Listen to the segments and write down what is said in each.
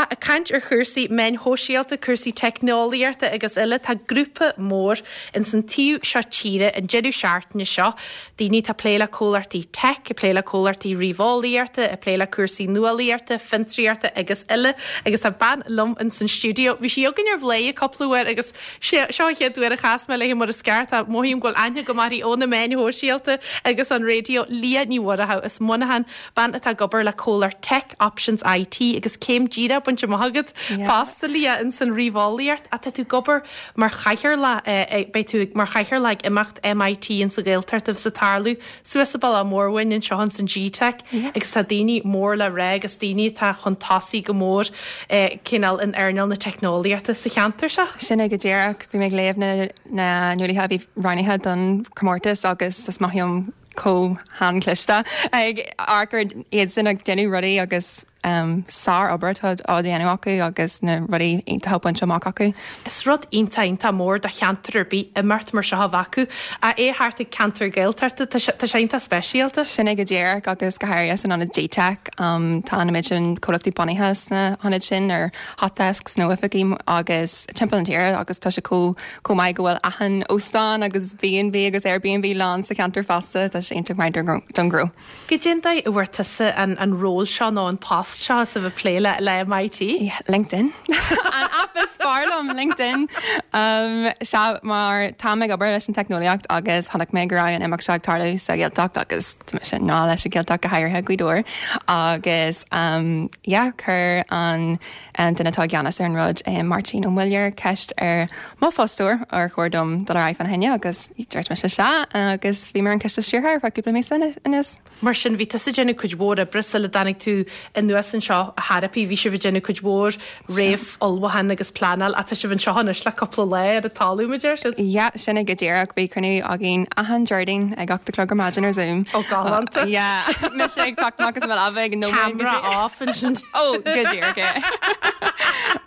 Ach ag caint ar chúrsaí meáin shóisialta, cúrsaí teicneolaíochta agus eile, tá grúpa mór ins an taobh seo tíre an deireadh seachtaine seo, daoine atá ag plé le comhlachtaí tech, ag plé le comhlachtaí ríomheolaíochta, ag plé le cúrsaí nuálaíochta, fiontraíochta agus eile. Agus tá bean liom ins an stiúideo. Bhí sí againn ar Bhladhaire cúpla uair agus seo an chéad uair a chas mé léi mar is ceart. Tá, mothaím go bhfuil aithne agam uirthi ó na meáin shóisialta agus an raidió. Leah Ní Mhuireadhaigh as Muineachán, bean atá ag obair le comhlacht Tech Options IT agus céim díreach bainte amach agat fosta, Leah, ins an ríomheolaíocht. Ach tá tú ag obair mar chathaoirleach, beidh tú mar chathaoirleach ag imeacht MIT ins an Ghaeltacht a bheas ag tarlú suas sa Bealach Mór uainn anseo ins an GTeic agus tá daoine mór le rá agus daoine atá chun tosaigh go mór cineál in earnáil na teicneolaíochta sa cheantar seo. Sin é go díreach. Bhí mé ag léamh na na nuálaithe a bhí roghnaithe don chomórtas agus is maith liom chomh han-chliste ag amharc ar iadsan ag déanamh rudaí agus sár-obair atá á dhéanamh acu agus na rudaí iontacha bainte amach acu. Is rud iontach iontach mór do cheantar ar bith imeacht mar seo a bheith acu. Ach é thart ag ceantar Gaeltachta, tá sé tá sé iontach speisialta. Sin é go díreach agus go háirithe san ionad GTeic. Tá an méid sin comhlachtaí bunaithe sna hionaid sin ar hot desks nó oifigí agus timpeall na tíre agus tá sé chomh chomh maith go bhfuil achan óstán agus B&B agus Airbnb lán sa cheantar fosta, tá sé iontach maith don ghnó. Goidé an dóigh a bhfuair tusa an ról seo nó an post seo is a bheith ag plé le le MIT? Yeah, LinkedIn. An app is fearr liom, LinkedIn. Um, sea, mar táim ag obair leis an teicneolaíocht agus chonaic mé go raibh an imeacht seo ag tarlú sa Ghaeltacht agus tá mise i ngrá leis an Ghaeltacht go háirithe Gaoth Dobhair agus um, yeah, chuir an An duine atá i gceannas ar an rud, Máirtín Ó Muilleoir, ceist ar mo fostóir ar chóir dom dul ar aghaidh fána choinne agus dúirt mise sea agus bhí mé ar an choiste stiúrtha ar feadh cúpla míosa anuas. Mar sin, bhí tusa ag déanamh cuid mhór oibre sula dtáinig tú anuas anseo a Therapy, bhí sibh ag déanamh cuid mhór réamh-ullmhúchán agus pleanáil ach tá sibh anseo anois le cúpla lá ar an talamh, mar a deir siad. Yeah, sin é go díreach. Bhí cruinniú againn achan Déardaoin ag 8 a chlog ar maidin ar Zoom. Ó, galánta. Yeah, mise ag teacht amach as mo leaba ag nóiméad go dtí. Camera off ansin. Ó, go díreach é.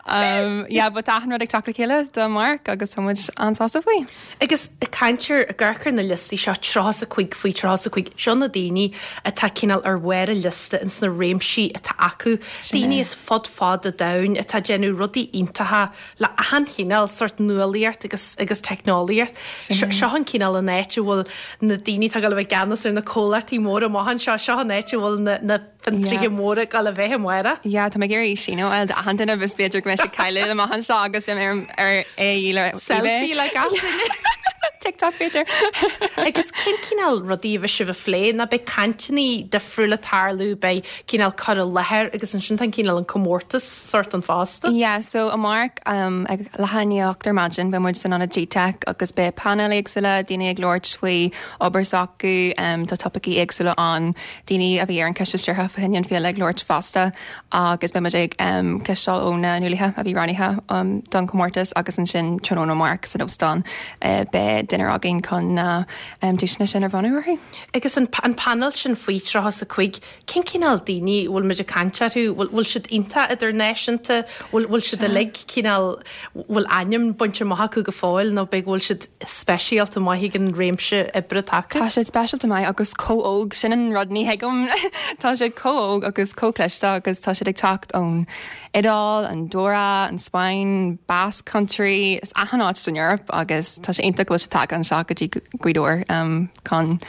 Um, yeah, but tá achan rud ag teacht le chéile do amárach agus tá muid an-sásta faoi. Agus ag caint ar, ag amharc ar na liostaí seo, 35 faoi 35, seo na daoine atá cineál ar bharr an liosta ins na réimsí atá acu. Daoine as fud fad an domhain atá ag déanamh rudaí iontacha le achan chineál sórt nuálaíocht agus agus teicneolaíocht. Seo an cineál an áit a bhfuil na daoine atá ag dul a bheith i gceannas ar na comhlachtaí móra amach anseo, seo an áit a bhfuil na na fiontraithe móra ag dul a bheith amárach. Yeah, tá mé ag iarraidh síneadh a fháil d'achan duine agus b'fhéidir go mbeidh siad cailleadh amach anseo agus beidh mé ar ar é le Selfie le gach duine. TikTok b'fhéidir. Agus cén cineál rudaí a bheidh sibh a phlé? Nó beidh cainteanna difriúla ag tarlú, beidh cineál cur i láthair agus ansin tá an cineál an comórtas sórt ann fosta. Yeah, so amárach um, ag leath i ndiaidh 8 ar maidin beidh muid san ionad GTeic agus beidh painéil éagsúla, daoine ag labhairt faoi obair s'acu, um, tá topaicí éagsúla ann, daoine a bhí ar an choiste stiúrtha fá choinne an féile ag labhairt fosta agus beidh muid ag um, cloisteáil ó na nuálaithe a bhí roghnaithe um, don chomórtas agus ansin tráthnóna amárach san óstán uh, beidh dinnéar againn chun na um, duaiseanna sin a bhronnadh orthu. Agus an, an painéal sin faoi 35, cén cineál daoine a bhfuil muid ag caint orthu? Bhfuil, bhfuil siad iontach idirnáisiúnta? Bhfuil, bhfuil siad uilig cineál, bhfuil ainm bainte amach acu go fóill nó b'fhéidir go bhfuil siad speisialta maith ag an réimse oibre atá acu? Tá siad speisialta maith agus chomh óg, sin an rud ní thuigim. Tá siad chomh óg agus chomh cliste agus tá siad ag teacht ón Iodáil, Andorra, an Spáinn, Basque Country, is achan áit san Eoraip agus tá sé iontach go bhfuil siad tagtha anseo go dtí Gaoth Dobhair chun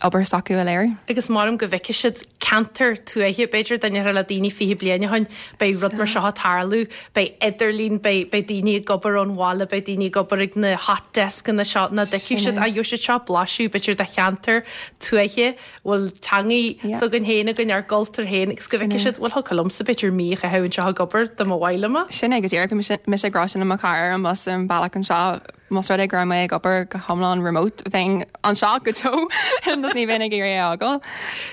obair s'acu a léiriú. Agus maram go bhfeicfidh siad ceantar tuaithe, b'fhéidir, dá ndéarfá le daoine 20 bliain ó shin, beidh rud mar seo ag tarlú, beidh idirlíon, beidh, beidh daoine ag obair ón bhaile, beidh daoine ag obair ag na hot deskanna seo, nach dtuigfidh siad, ah, gheobhaidh siad seo blaiseadh, b'fhéidir, de cheantar tuaithe, bhfuil teangaidh s'againn féin againn, ár gcultúr féin, agus go bhfeicfidh siad, bhuel, thiocfadh liomsa b'fhéidir mí a chaitheamh anseo ag obair dá mba mhaith liom é. Sin é go díreach, bhí mise ag rá sin le mo chara ar an mbus ar an bhealach anseo, más rud é go raibh mé ag obair go hiomlán remote, bheinn anseo go deo nó ní bheinn ag iarraidh é a fhágáil.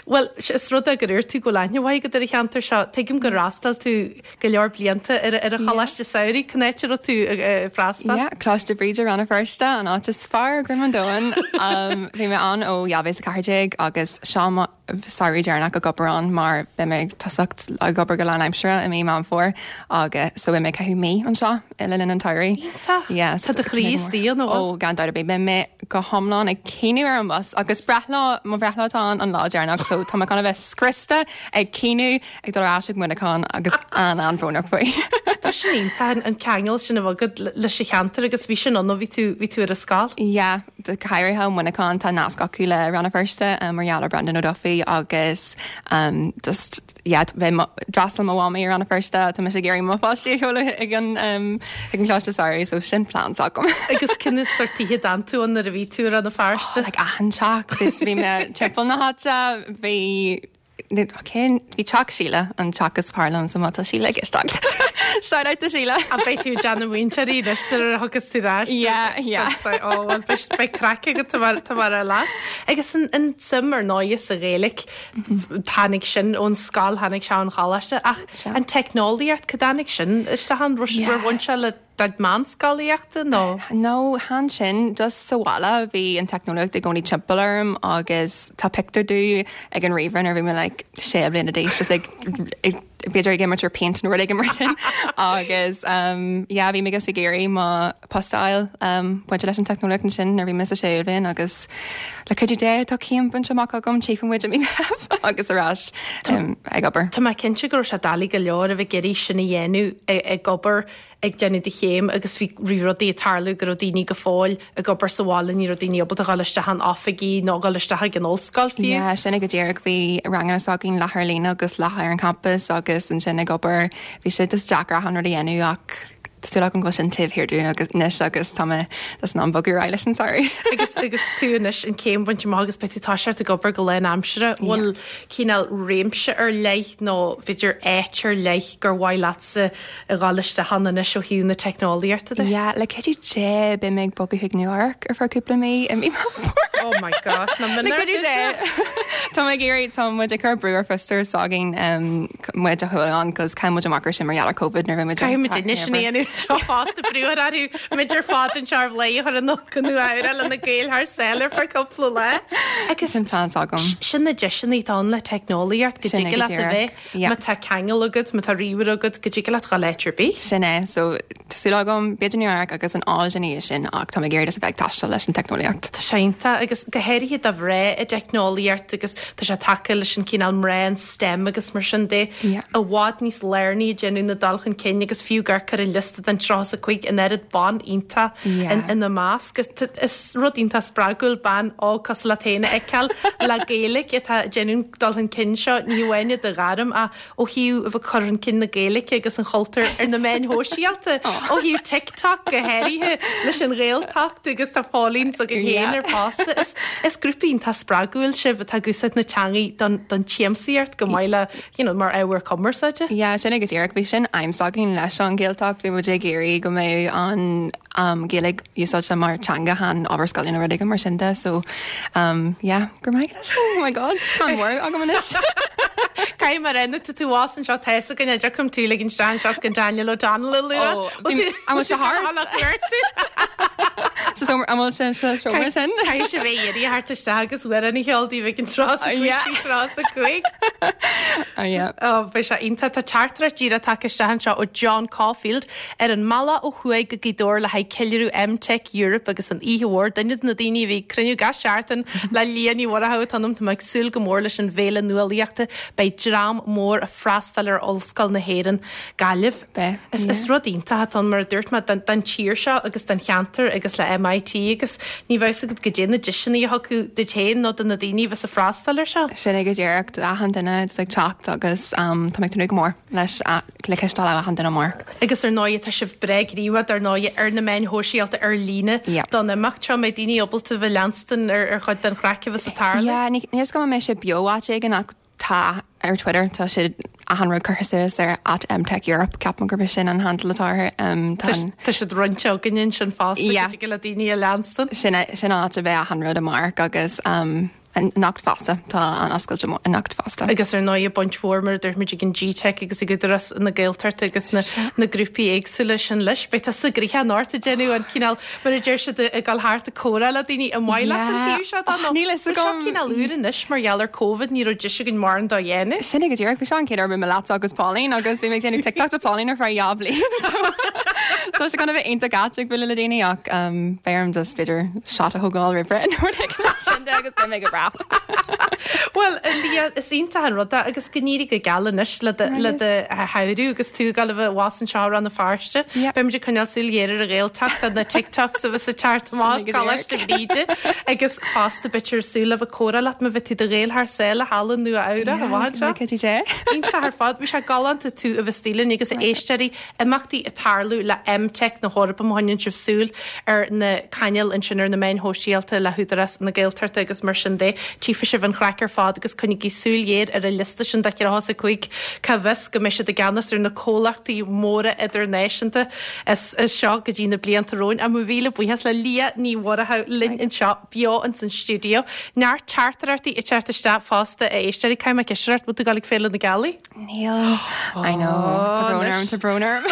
Bhuel, is rud é gur dúirt tú go bhfuil aithne mhaith agat ar an cheantar seo. Tuigim gur fhreastail tú go leor blianta ar an choláiste samhraidh. Cén áit a raibh tú ag freastal? Yeah, Coláiste Bhríde, Rann na Feirste, an áit is fearr ar dhroim an domhain. Bhí mé ann ó 2014 agus seo mo. samhradh deireanach ag obair ann mar beidh mé ag tosacht ag obair go lánaimseartha i mí Meán Fómhair agus so beidh mé ag caitheamh mí anseo le linn an tsamhraidh. Iontach! Yeah, so Tá do chroí istigh ann, an bhfuil? Ó, gan dabht ar bith. Beidh mé go hiomlán ag caoineadh ar an mbus agus breithlá, mo bhreithlá atá ann an lá deireanach so tá mé chun a bheith scriosta ag caoineadh ag dul ar ais chuig Muineachán agus an-an-bhrónach faoi. Tá sin iontach, an ceangal sin a bheith agat leis an cheantar agus bhí sin ann ó bhí tú, bhí tú ar an scoil. Yeah, go háirithe Muineachán, tá nasc acu le Rann na Feirste mar gheall ar Brendan O'Duffy agus just yeah, d'fhreastail mo mhamaí ar Rann na Feirste, tá mise ag iarraidh mo pháistí a sheoladh ag an ag an Choláiste Samhraidh so sin plean s'agam. Agus cén sórt tithe a d'fhan tú ann nuair a bhí tú i Rann na Feirste? Oh, like achan teach, just bhí mé timpeall na háite, bhí Cén, bhí teach Sheila an teach is fearr liom so má tá Sheila ag éisteacht. Shout out to Sheila. An beidh tú ag déanamh múinteoirí anois nuair a thiocfas tú ar ais? Yeah, yeah. Ó, bhuel, beidh, beidh craic agat tá mar, tá mar ar leat. Agus an, an tsuim ar ndóighe sa Ghaeilge, tháinig sin ón scoil, tháinig sé ón choláiste, ach an teicneolaíocht, cá dtáinig sin isteach ann? Raibh, Yeah. ar bhain sé le do chuid meánscolaíochta nó? No, chan sin, just sa bhaile bhí an teicneolaíocht i gcónaí timpeall orm agus tá pictiúr domh ag an ríomhaire nuair a bhí mé like sé bliana d'aois just ag b'fhéidir ag imirt ar Paint nó rud éigin mar sin agus um, yeah, bhí mé just ag iarraidh mo post a fháil um, bainte leis an teicneolaíocht ansin nuair a bhí mé sa séú bhliain agus le cuidiú Dé tá céim bainte amach agam tchífidh muid i mí Mheithimh agus ar ais um, ag obair. Tá mé cinnte go raibh sé doiligh go leor a bheith ag iarraidh sin a dhéanamh ag obair ag déanamh do chéim agus bhí rudaí ag tarlú go raibh daoine go fóill ag obair sa bhaile, ní raibh daoine ábalta dhul isteach in oifigí nó dhul isteach ag an ollscoil fiú. Yeah, sin é go díreach. Bhí ranganna s'againn leath ar líne agus leath ar an champas agus ansin ag obair. Bhí sé just deacair achan rud a dhéanamh ach tá súil agam go bhfuil sin taobh thiar dúinn agus anois agus tá mé just in ann bogadh ar aghaidh leis an samhradh. Agus agus tú anois an chéim bainte amach agus beidh tú toiseacht ag obair go lánaimseartha, bhfuil cineál réimse ar leith nó b'fhéidir áit ar leith gur mhaith leatsa a dhul isteach ann anois ó thaobh na teicneolaíochta de. Yeah, le cuidiú Dé beidh mé ag bogadh chuig Nua Eabhrac ar feadh cúpla mí i mí Meán Fómhair. Oh my gosh, na Le cuidiú Dé! Tá mé ag iarraidh, tá muid ag cur brú ar fostóir s'againn muid a sheoladh ann cos chaill muid amach ar sin mar gheall ar Covid nuair a bhí muid Caithfidh muid anois sin a dhéanamh seo fosta brú ar orthu muid ar fad anseo ar Bhladhaire a chur anonn go Nua Eabhrac le na Gaeil thar sáile ar feadh cúpla lá. Agus Sin plean s'agam. sin na deiseanna atá ann le teicneolaíocht go Sin é dtig go leat a díreach. bheith Yeah. Má tá ceangal agat, má tá ríomhaire agat, go dtig leat dhul áit ar bith. Sin é. So, tá súil agam, b'fhéidir Nua Eabhrac agus an Áise ina dhiaidh sin ach tá mé ag iarraidh just a bheith ag taisteal leis an teicneolaíocht. Tá sé iontach agus go háirithe do mhná i dteicneolaíocht agus tá sé tagtha leis an cineál mná in STEM agus mar sin de. Yeah. I bhfad níos lárnaí ag déanamh na dul chun cinn agus fiú ag amharc ar an liosta den 35 an oiread ban iontach Yeah. ina measc. Is rud iontach spreagúil bean óg cosúil leat féin a fheiceáil le Gaeilge atá ag déanamh dul chun cinn seo, ní hamháin i do ghairm ach ó thaobh a bheith ag cur chun cinn na Gaeilge agus an chultúir ar na meáin shóisialta, ó thaobh TikTok go háirithe leis an Ghaeltacht agus tá following s'agaibh féin air fosta. Is, is grúpa iontach spreagúil sibh atá ag úsáid na teangaí don, don tsiamsaíocht chomh maith le, you know, mar ábhar cumarsáide. Yeah, sin é go díreach. Bhí sin aidhm s'againn leis an Ghaeltacht. Bhí muid ag iarraidh go mbeadh an Ghaeilge úsáidte mar teanga chan ábhar scoile nó rud éigin mar sin de so yeah go raibh maith agat leis oh my god tá mór agam anois. Caithfidh mé a rá nuair atá tú abhus anseo tá fhios againn an dtiocfaidh tú ligean isteach anseo is gan Daniel O'Donnell a lua. Oh, an bhfuil sé thart? So an bhfuil sé sa seomra sin? Caithfidh sé bheith éirithe thart isteach agus amhrán a cheol daoibh ag an tráth sa gcuig tráth sa gcuig. Yeah. Oh, beidh sé iontach. Tá teachtaireacht díreach tagtha isteach anseo ó John Caulfield Ar an mbealach ó thuaidh go Gaoth Dobhair le haghaidh ceiliúradh EmTech Europe agus an oíche mhór, duine de na daoine a bhí ag cruinniú gach seachtain le Liadh Ní Mhurchú atá ionam, tá mé ag súil go mór leis an bhféile nuálaíochta. Beidh dream mór ag freastal ar Ollscoil na hÉireann, Gaillimh. Beidh, Is yeah. rud iontach atá ann, mar a dúirt mé, don tír seo agus don cheantar agus le MIT agus ní bheadh fhios agat goidé na deiseanna a thiocfadh duit féin nó do na daoine a bheas ag freastal air seo. Sin é go díreach, achan duine ag teacht agus tá mé ag tnúth go mór leis le cloisteáil ó achan duine amárach. Agus ar ndóigh, tá sibh breá gníomhach, dar ndóigh, ar na meáin shóisialta ar líne Yeah. don imeacht seo. Mbeidh daoine ábalta bheith leanstan ar ar chuid den chraic a bheas ag tarlú? Yeah, ní níl 'fhios agam an mbeidh sé beo áit éigin ach tá ar Twitter, tá sé achan rud curtha suas ar at EmTechEurope, ceapaim gurb é sin an handle atá air. Um, tá Tá an- tá siad roinnte againn ansin fosta Yeah. go dtig le daoine a leanstan. sin é- sin áit a bheidh achan rud amárach agus um, Anocht fosta, tá an oscailt anocht fosta. Agus ar ndóigh baint mhór mar a dúirt muid ag an GTeic agus ag Údarás na Gaeltachta agus na na grúpaí éagsúla sin leis. Beidh tusa gnoitheach anocht ag déanamh an cineál mar a deir siad ag dul thart ag comhrá le daoine an maith leat an taobh seo de nó Níl fhios Bhí seo agam. cineál úr anois mar gheall ar Covid ní raibh deis againn mórán dó dhéanamh. Sin é go díreach, bhí seo an chéad uair a bhí mé leatsa agus Pauline agus bhí mé ag déanamh TikToks le Pauline ar feadh dhá bhliain so tá sé chun a bheith iontach ait ag bualadh le daoine ach beidh orm just b'fhéidir shot a thógáil roimh ré nó rud éigin mar sin de agus beidh mé go breá. Bhuel, a Lia, is iontach an rud é agus go n-éirí go geal anois le do le do shamhradh agus tú ag dul a bheith abhus anseo i Rann na Feirste. Beimid ag coinneáil súil ghéar ar an Ghaeltacht do na TikToks a bheas ag teacht amach as Coláiste Bhríde agus fosta beifear ag súil le bheith ag comhrá leat má bheidh tú do ghaol thar sáile thall i Nua Eabhrac, amach anseo. Iontach ar fad. Bhí sé galánta tú a bheith istigh linn agus a éisteoirí Imeachtaí ag tarlú le EmTech na hEorpa má choinníonn sibh súil ar na cainéil ansin ar na meáin shóisialta le hÚdarás na Gaeltachta agus mar sin de, tchífidh sibh an chraic ar fad agus coinnígí súil ghéar ar an liosta sin de 35 cá bhfios go mbeidh siad i gceannas ar na comhlachtaí móra idirnáisiúnta as seo go dtí na blianta romhainn. Mo mhíle buíochas le Lia Ní Mhurchú linn anseo beo ins an stiúideo. Neart teachtaireachtaí ag teacht isteach fosta a éisteoirí. Caithfidh mé ceist a chur ort, bhfuil tú ag dul ag Féile na Gealaí? Níl. I know. Tá brón orm, tá brón orm.